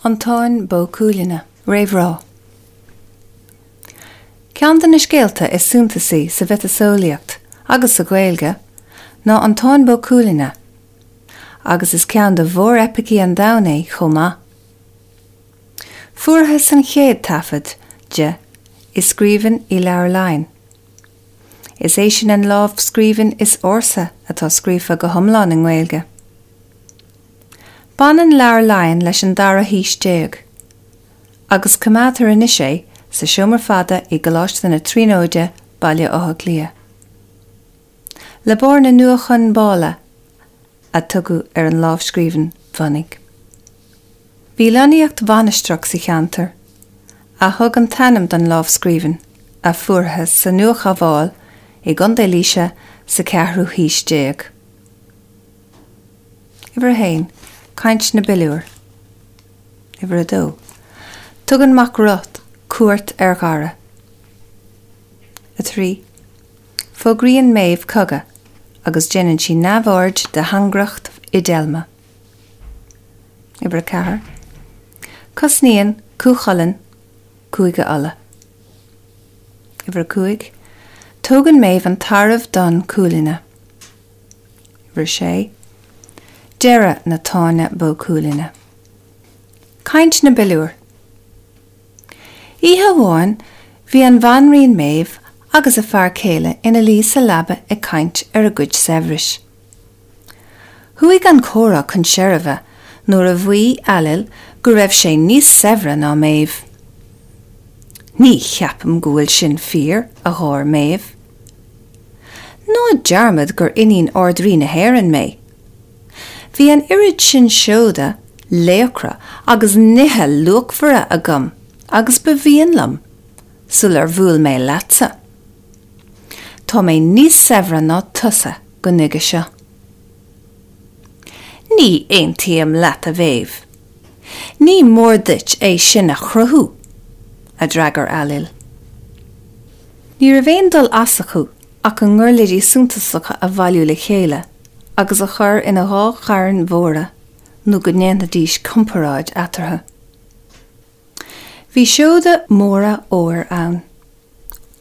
An Táin Bó Cuailgne. Réamhrá. Ceann de na scéalta is suntasaí sa mhiotaseolaíocht agus sa Ghaeilge ná An Táin Bó Cuailgne, agus is ceann de mhóreipicí an domhain é chomh maith. Fuarthas an chéad taifead de i scríbhinn i Leabhar Laighean. Is é sin an lámhscríbhinn is ársa atá scríofa go hiomlán i nGaeilge. Baineann Leabhar Laighean leis an dara haois déag, agus coimeádtar anois é sa Seomra Fada i gColáiste na Tríonóide, Baile Átha Cliath. Lebor na Nuachongbála a tugadh ar an lámhscríbhinn bhunaidh. Bhí lonnaíocht mhainistreach sa cheantar, a thug an t-ainm don lámhscríbhinn, a fuarthas sa Nuachabhán i gContae Laoise sa cheathrú haois déag. Uimhir a haon, Caint na bPiliúr. Uimhir a dó, Tugann Mac Roth cuairt ar Dhara. 3, Fógraíonn Méabh cogadh agus déanann sí neamhaird de thairngreacht Fhidelma. Uimhir 4. Cosnaíonn Cú Chulainn Cúige Uladh. Uimhir 5. Tógann Méabh an tarbh donn Cuailgne. Uimhir 6. Deireadh na Táine Bó Cuailgne. Caint na bPiliúr. Oíche amháin bhí an bhanríon Méabh agus a fear céile ina luí sa leaba ag caint ar a gcuid saibhris. Chuaigh an comhrá chun seirbhe nuair a mhaígh Ailill go raibh sé níos saibhre ná Méabh. Ní cheapaim go bhfuil sin fíor, a gháir Méabh. Ná dearmad gur iníon Ard-Rí na hÉireann mé. Bhí an oiread sin seoda, laochra agus nithe luachmhara agam agus ba mhian liom, sular bhuail mé leatsa. Tá mé níos saibhre ná tusa go nuige seo. Ní aontaím leat, a Mhéabh. Ní mór duit é sin a chruthú, a d'fhreagair Ailill. Ní raibh aon dul as acu ach a ngiuirléidí suntasacha a bhailiú le chéile agus a chur ina dhá charn mhóra nó go ndéanfaidís comparáid eatarthu. Bhí seoda móra óir ann,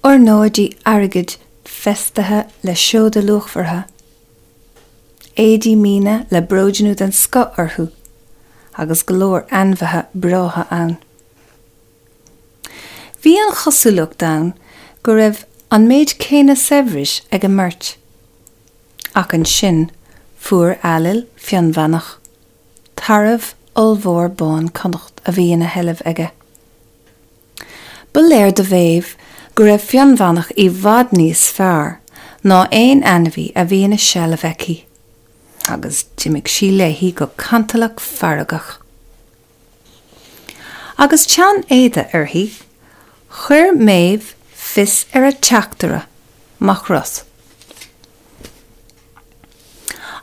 ornáidí airgid feistithe le seoda luachmhara, éadaí míne le bróidniú den scoth orthu agus go leor ainmhithe breátha ann. Bhí an chosúlacht ann go raibh an méid céanna saibhris ag an mbeirt. Ach ansin fuair Ailill Fionnbheannach. tarbh ollmhór bán Connacht a bhí ina sheilbh aige. Ba léir do Mhéabh go raibh Fionnbheannach i bhfad níos fearr ná aon ainmhí a bhí ina seilbh aici, agus d'imigh sí léi go cantalach feargach. Agus teann éada uirthi, chuir Méabh fios ar a teachtaire, Mac Roth.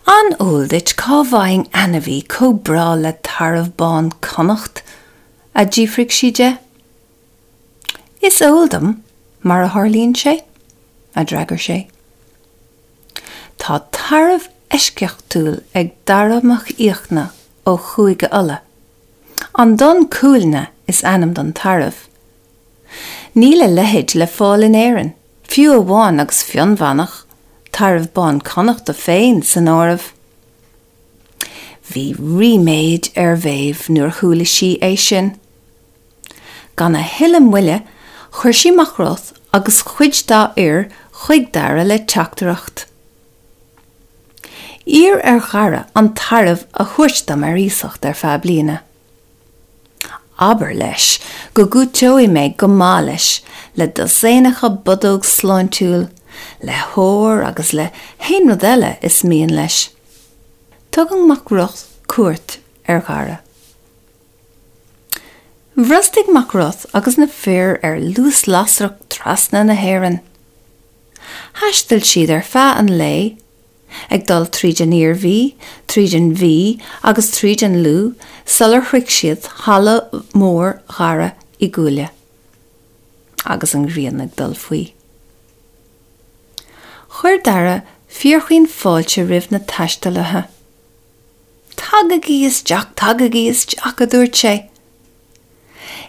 An eol duit cá bhfaighinn ainmhí chomh breá le tarbh bán Connacht? a d'fhiafraigh sí de. Is eol dom, mar a tharlaíonn sé, a d'fhreagair sé. Tá tarbh eisceachtúil ag Dara Mac Fhiachna ó Chúige Uladh. An Donn Cuailgne is ainm don tarbh. Níl a leithéid le fáil in Éirinn, fiú amháin agus Fionnbheannach, tarbh bán Connachta féin, san áireamh. Bhí ríméad ar Mhéabh nuair a chuala sí é sin. Gan a thuilleadh moille, chuir sí Mac Roth agus cuid dá fhir chuig Dara le teachtaireacht. Iarr ar Dhara an tarbh a thabhairt dom ar iasacht ar feadh bliana. Abair leis go gcúiteoidh mé go maith leis le dosaenacha bodóg sláintiúil, le hór agus le haon rud eile is mian leis. Tugann Mac Roth cuairt ar Dhara. Bhrostaigh Mac Roth agus na fir ar luas lasrach trasna na hÉireann. Thaistil siad ar feadh an lae ag dul tríd an Iarmhí, tríd an Mhí agus tríd an Lú sular shroich siad halla mór Dhara i gCuaille, agus an ghrian ag dul faoi. Chuir Dara fíorchaoin fáilte roimh na taistealaithe. Tagaigí isteach, tagaigí isteach, a dúirt sé.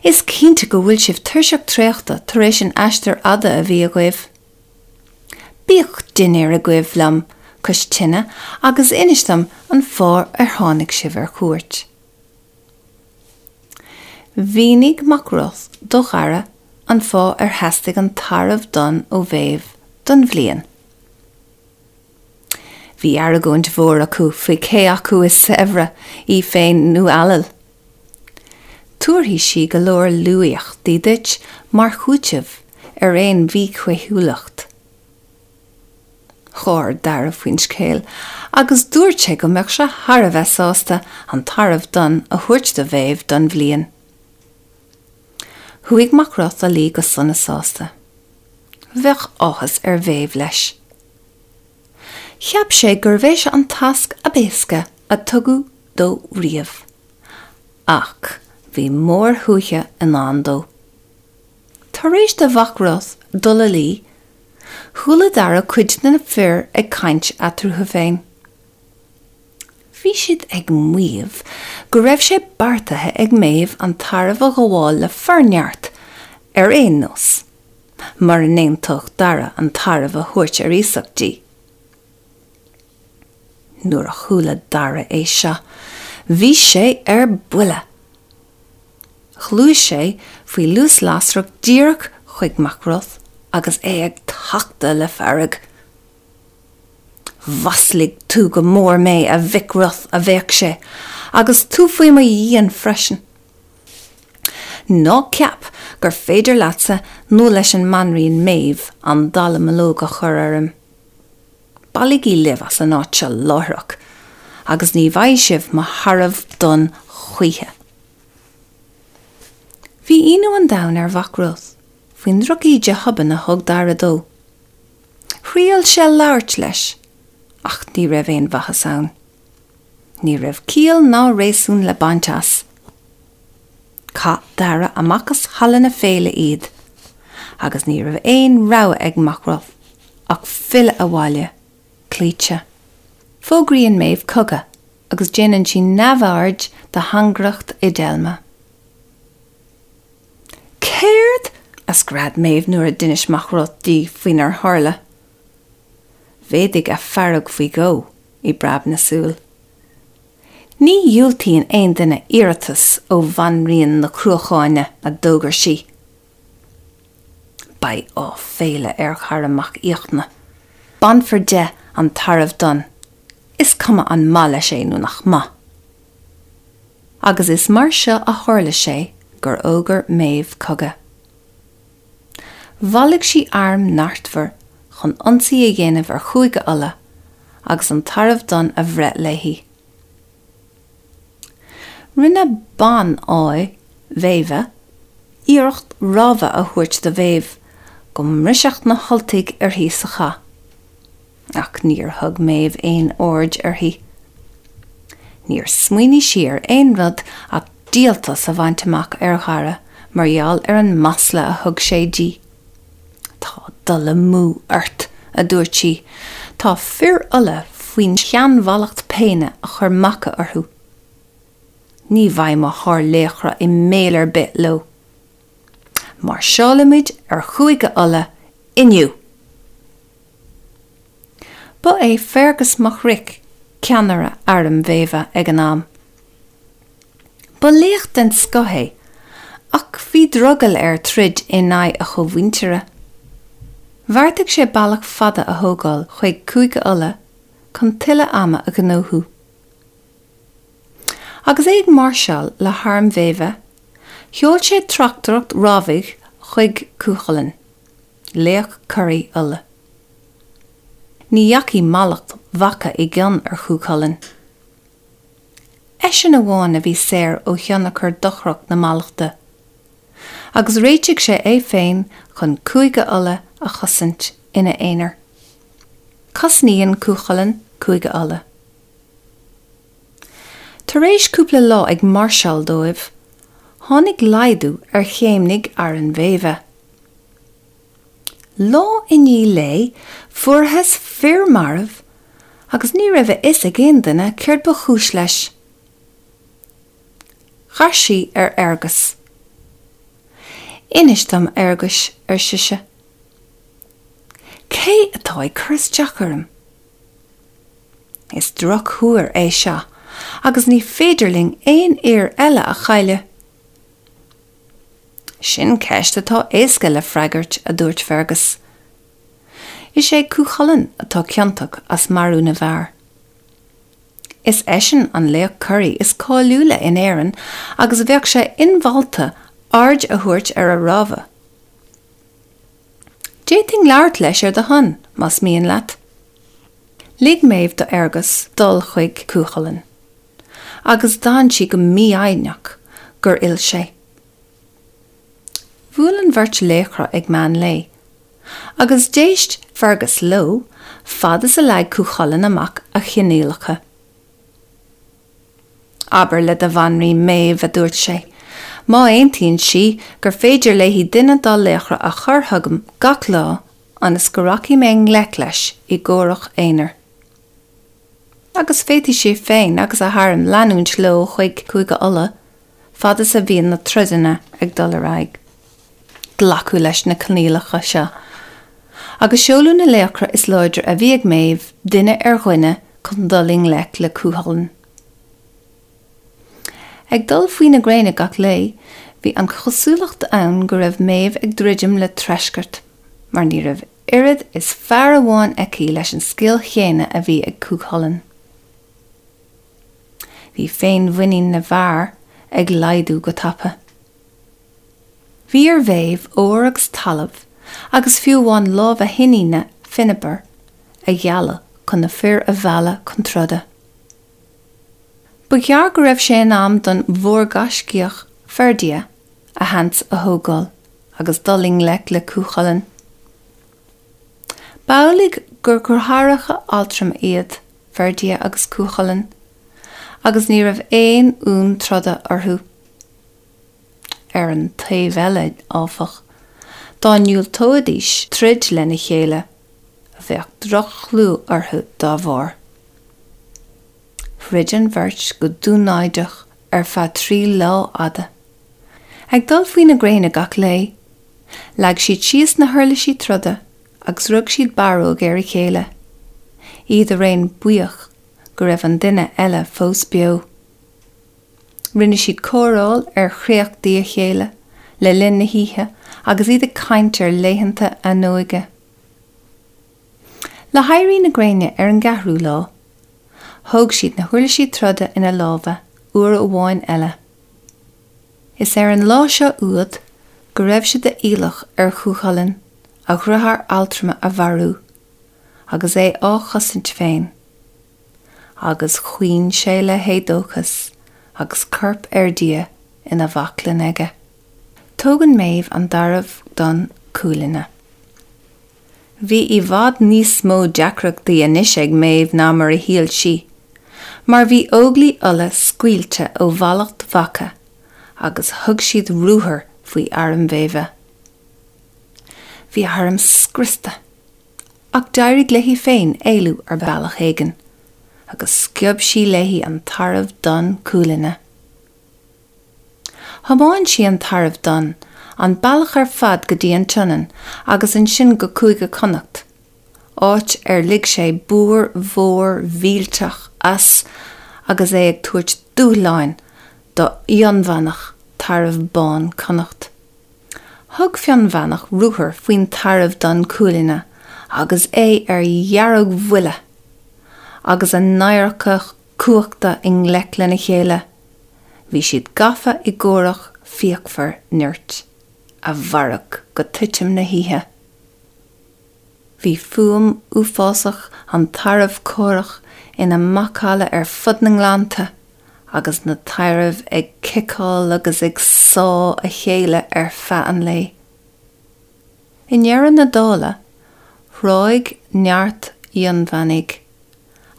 Is cinnte go bhfuil sibh tuirseach traochta tar éis an aistir fhada a bhí agaibh. Bíodh dinnéar agaibh liom cois tine agus inis dom an fáth ar tháinig sibh ar cuairt. Mhínigh Mac Roth do Dhara an fáth ar theastaigh an tarbh donn ó Mhéabh don bhliain. Bhí argóint mhór acu faoi cé acu is saibhre, í féin nó Ailill. Tabharfaidh sí go leor luaíochtaí duit mar chúiteamh ar aon mhíchaoithiúlacht. Gháir Dara faoin scéal agus dúirt sé go mbeadh sé thar a bheith sásta an tarbh donn a thabhairt do Mhéabh don bhliain. Chuaigh Mac Roth a luí go sona sásta. Bheadh áthas ar Mhéabh leis. Cheap sé gurbh é seo an tasc ab éasca a tugadh dó riamh. Ach bhí mórshuaitheadh i ndán dó. Tar éis do Mhac Roth dul a luí, chuala Dara cuid de na fir ag caint eatarthu féin. Bhí siad ag maíomh go raibh sé beartaithe ag Méabh an tarbh a ghabháil le forneart ar aon nós, mura n-aontódh Dara an tarbh a thabhairt ar iasacht di. Nuair a chuala Dara é seo, bhí sé ar buile! Ghluais sé faoi luas lasrach díreach chuig Mac Roth agus é ag tachtadh le fearg. Mhaslaigh tú go mór mé, a Mhic Roth, a bhéic sé, agus tú faoi mo dhíon freisin. Ná ceap gur féidir leatsa nó leis an mBanríon Méabh an dallamullóg a chur orm. Bailígí libh as an áit seo láithreach, agus ní bhfaighidh sibh mo tharbh donn choíche. Bhí ionadh an domhain ar Mhac Roth faoin drochíde thobann a thug Dara dó. Thriail sé labhairt leis, ach ní raibh aon mhaitheas ann. Ní raibh ciall ná réasún le baint as. Chaith Dara amach as halla na féile iad, agus ní raibh aon rogha ag Mac Roth ach filleadh abhaile, cloíte. Fógraíonn Méabh cogadh agus déanann sí neamhaird de thairngreacht Fhidelma. Céard? a scread Méabh nuair a d'inis Mac Roth di faoinar tharla. Mhéadaigh a fearg faoi dhó i bpreab na súl. Ní dhiúltaíonn aon duine iarratas ó Bhanríon na Cruacháine, a d'fhógair sí. Beidh áiféala ar Dhara Mac Fhiachna. Bainfear de an tarbh donn, is cuma an maith leis é nó nach maith. Agus is mar seo a tharla sé gur fhógair Méabh cogadh. Bhailigh sí arm neartmhar chun ionsaí a dhéanamh ar Chúige Uladh agus an tarbh donn a bhreith léi. Rinne ban-fháidh Mhéabha iarracht rabhadh a thabhairt do Mhéabh go mbrisfeadh na hUltaigh uirthi sa chath. Ach níor thug Méabh aon aird uirthi. Níor smaoinigh sí ar aon rud ach díoltas a bhaint amach ar Dhara mar gheall ar an masla a thug sé di. Tá dul amú ort, a dúirt sí. Tá fir Uladh faoin tseanmhallacht péine a chuir Macha orthu. Ní bheidh mo shárlaochra i mbaol ar bith leo. Máirseálfaimid ar Chúige Uladh inniu! Ba é Fergus Mac Roich ceannaire arm Mhéabha ag an am. Ba laoch den scoth é, ach bhí drogall air troid in aghaidh a chómhuintire. Bheartaigh sé bealach fada a thógáil chuig Cúige Uladh chun tuilleadh ama a ghnóthú. Agus é ag máirseáil le harm Mhéabha, sheol sé tráchtaireacht rabhaidh chuig Cú Chulainn, laoch curaidh Uladh. Ní dheachaigh mallacht Mhacha i gcion ar Chú Chulainn. Eisean amháin a bhí saor ó thionchar dochrach na mallachta, agus réitigh sé é féin chun Cúige Uladh a chosaint ina aonar. Cosnaíonn Cú Chulainn Cúige Uladh. Tar éis cúpla lá ag máirseáil dóibh, tháinig laghdú ar chéimnigh arm Mhéabha. Lá i ndiaidh lae fuarthas fir marbh agus ní raibh a fhios ag aon duine céard ba chúis leis. Chas sí ar Fhearghas. Inis dom, a Fhearghuis, ar sise. Cé atá ag cur isteach orm? Is drochthuar é seo agus ní féidir linn aon fhir eile a chailleadh. Sin ceist atá éasca le freagairt, a dúirt Fergus. Is é Cú Chulainn atá ciontach as marú na bhfear. Is eisean an laoch coraí is cáiliúla in Éirinn agus bheadh sé inmholta aird a thabhairt ar a rabhadh. D'fhéadfainn labhairt leis ar do shon, más mian leat. Lig Méabh do Fhearghus dul chuig Cú Chulainn, agus d'fhan sí go mífhoighneach gur fhill sé. Bhuail an bheirt laochra ag meán lae, agus d'éist Fergus leo fad is a leag Cú Chulainn amach a choinníollacha. Abair le do bhanríon Méabh, a dúirt sé, má aontaíonn sí, gur féidir léi duine dá laochra a chur chugam gach lá ionas go rachaidh mé i ngleic leis i gcomhrac aonair. Agus féadfaidh sé féin agus a harm leanúint leo chuig Cúige Uladh fad is a bhíonn na troideanna ag dul ar aghaidh. Glacadh leis na coinníollacha seo, agus seoladh na laochra is láidre a bhí ag Méabh duine ar dhuine chun dul i ngleic le Cú Chulainn. Ag dul faoi na gréine gach lae, bhí an chosúlacht ann go raibh Méabh ag druidim le treascairt, mar ní raibh oiread is fear amháin aici leis an scil chéanna a bhí ag Cú Chulainn. Bhí féinmhuinín na bhfear ag laghdú go tapa. Bhí ar Mhéabh ór agus talamh, agus fiú amháin lámh a hiníne Finnabair, a ghealladh chun na fir a mhealladh chun troda. Ba ghearr go raibh sé in am don mhórghaiscíoch Ferdia a sheans a thógáil agus dul i ngleic le Cú Chulainn. B'amhlaidh gur dheartháireacha altrama iad Ferdia agus Cú Chulainn agus ní raibh aon fhonn troda orthu. Ar an taobh eile, áfach, dá ndiúltóidís troid lena chéile, bheadh droch-chlú orthu dá bharr. Throid an bheirt go dúnáideach ar feadh 3 lá fhada. Ag dul faoi na gréine gach lae, leag siad síos na huirlisí troda agus rug siad barróg ar a chéile, iad araon buíoch go raibh an duine eile fós beo. Rinne siad cóireáil ar chréachtaí a chéile le linn na hoíche agus iad ag caint ar laethanta a n-óige. Le héirí na gréine ar an gceathrú lá, thóg siad na huirlisí troda ina lámha uair amháin eile. Is ar an lá seo úd go raibh sé d'iallach ar Chú Chulainn a dheartháir altrama a mharú agus é á chosaint féin, agus chaoin sé le héadóchas agus corp Fherdia ina bhaclainn aige. Tógann Méabh an tArbh Donn Cuailgne. Bhí i bhfad níos mó deacrachtaí anois ag Méabh ná mar a shíl sí, mar bhí Óglaigh Uladh scaoilte ó mhallacht Mhacha agus thug siad ruathar faoi arm Mhéabha. Bhí a harm scriosta, ach d'éirigh léi féin éalú ar bealach éigin, agus sciob sí léi an tArbh Donn Cuailgne. Thiomáin sí an tArbh Donn an bealach ar fad go dtí an tSionainn agus ansin go Cúige Chonnacht, áit ar lig sé búir mhór mhillteach as agus é ag tabhairt dúshláin do Fhionnbheannach, Tarbh Bán Chonnacht. Thug Fionnbheannach ruathar faoin Tarbh Donn Cuailgne agus é ar dheargbhuile, agus a n-adharca cumhachta i ngleic lena chéile. Bhí siad gafa i gcomhrac fíochmhar nirt, a mhairfeadh go titim na hoíche. Bhí fuaim uafásach an tairbh chomhraic ina macalla ar fud na ngleannta, agus na tairbh ag ciceáil agus ag sá a chéile ar feadh an lae. I ndeireadh na dála, thráigh neart Fhionnbheannaigh,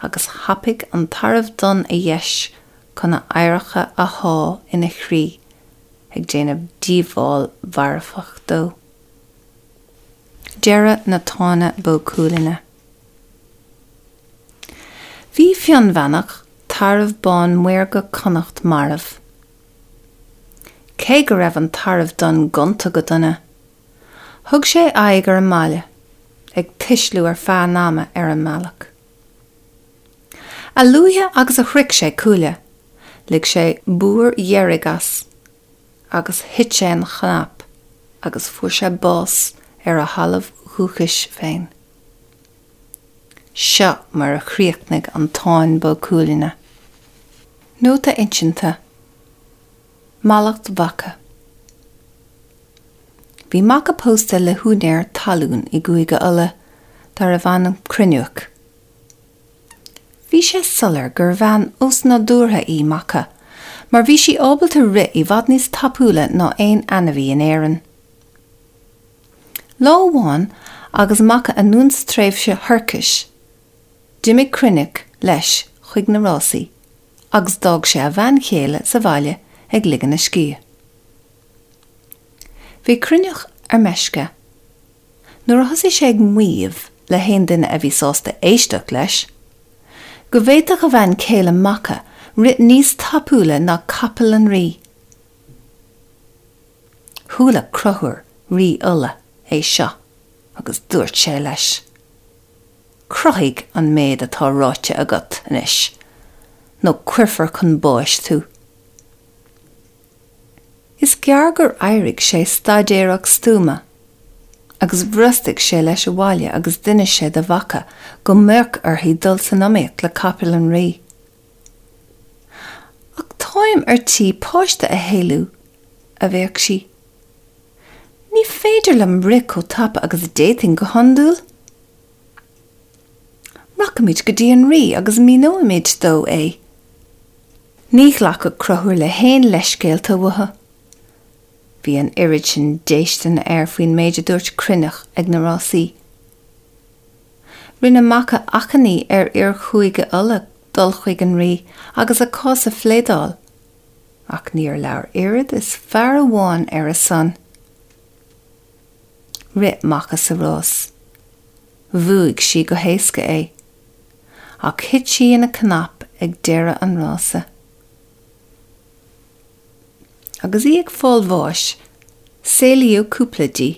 agus thapaigh an tArbh Donn a dheis chun a adharca a shá ina chroí, ag déanamh díobháil mharfach dó. Deireadh na Tána Bó Cuailgne. Bhí Fionnbheannach, Tarbh Bán Maorga Connacht marbh. Cé go raibh an tarbh donn gonta go dona, thug sé aghaidh ar an mbaile, ag tuisliú ar feadh an ama ar an mbealach. A luaithe agus a shroich sé Cuaille, lig sé búir dheiridh as agus thit sé ina chnap agus fuair sé bás ar a thalamh dhúchais féin. Seo mar a chríochnaigh an Táin Bó Cuailgne. Nóta insinte, Mallacht Mhacha. Bhí Macha pósta le húinéir talún i gCúige Uladh darbh ainm Cruinneach. Bhí sé soiléir gur bhean osnádúrtha í Macha, mar bhí sí ábalta rith i bhfad níos tapúla ná aon ainmhí in Éirinn. Lá amháin agus Macha anonn sa tréimhse thoirchis, d'imigh Cruinneach leis chuig na rásaí agus d'fhág sé a bhean chéile sa bhaile ag ligean a scíth. Bhí Cruinneach ar meisce nuair a thosaigh sé ag maíomh le haon duine a bhí sásta éisteacht leis, go bhféadfadh a bhean chéile Macha rith níos tapúla ná capall an rí. Chuala Conchúr, rí Uladh, é seo agus dúirt sé leis, Cruthaigh an méid atá ráite agat anois, nó cuirfear chun báis thú. Is gearr gur éirigh sé staidéarach stuama, agus bhrostaigh sé leis abhaile agus d'inis sé do Mhacha go mbeadh uirthi dul san iomaíocht le capall an rí. Ach táim ar tí páiste a shaolú, a bhéic sí. Ní féidir liom rith chomh tapa agus a d'fhéadfainn go hiondúil. Rachaimid go dtí an rí agus míneoimid dó é. Ní ghlacfadh Conchúr le haon leithscéalta uathu. Bhí an oiread sin déistine air faoin méid a dúirt Cruinneach ag na rásaí. Rinne Macha achainí ar fhir Chúige Uladh dul chuig an rí agus a cás a phléadáil, ach níor labhair oiread is fear amháin ar a son. Rith Macha sa rás. Bhuaigh sí go héasca é. Ach thit sí ina cnap ag deireadh an rása. Agus í ag fáil bháis, saolaíodh cúpla di.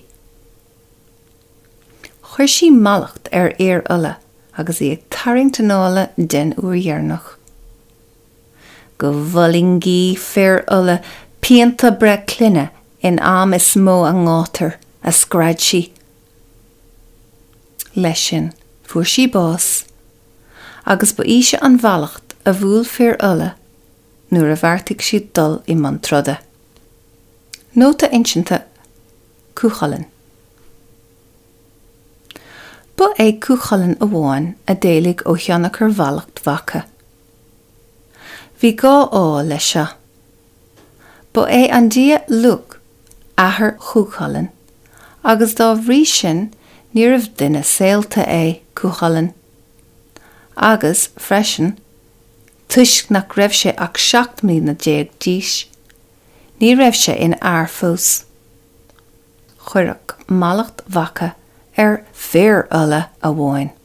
Chuir sí mallacht ar fhir Uladh agus í ag tarraingt anála den uair dheireanach. Go bhfulaingí fir Uladh pianta breith clainne in am is mó a ngátar, a scread sí. Leis sin, fuair sí bás, agus ba í seo an mhallacht a bhuail fir Uladh nuair a bheartaigh siad dul i mbun troda. Nóta insinte Cú Chulainn. Ba é Cú Chulainn amháin a d'éalaigh ó thionchar mhallacht Mhacha. Bhí dhá fháth leis seo. Ba é an dia Lugh athair Chú Chulainn agus dá bhrí sin níorbh duine saolta é Cú Chulainn. Agus, freisin, toisc nach raibh sé ach 17 mbliana d'aois, ní raibh sé ina fhear fós. Cuireadh mallacht Mhacha ar fir Uladh amháin.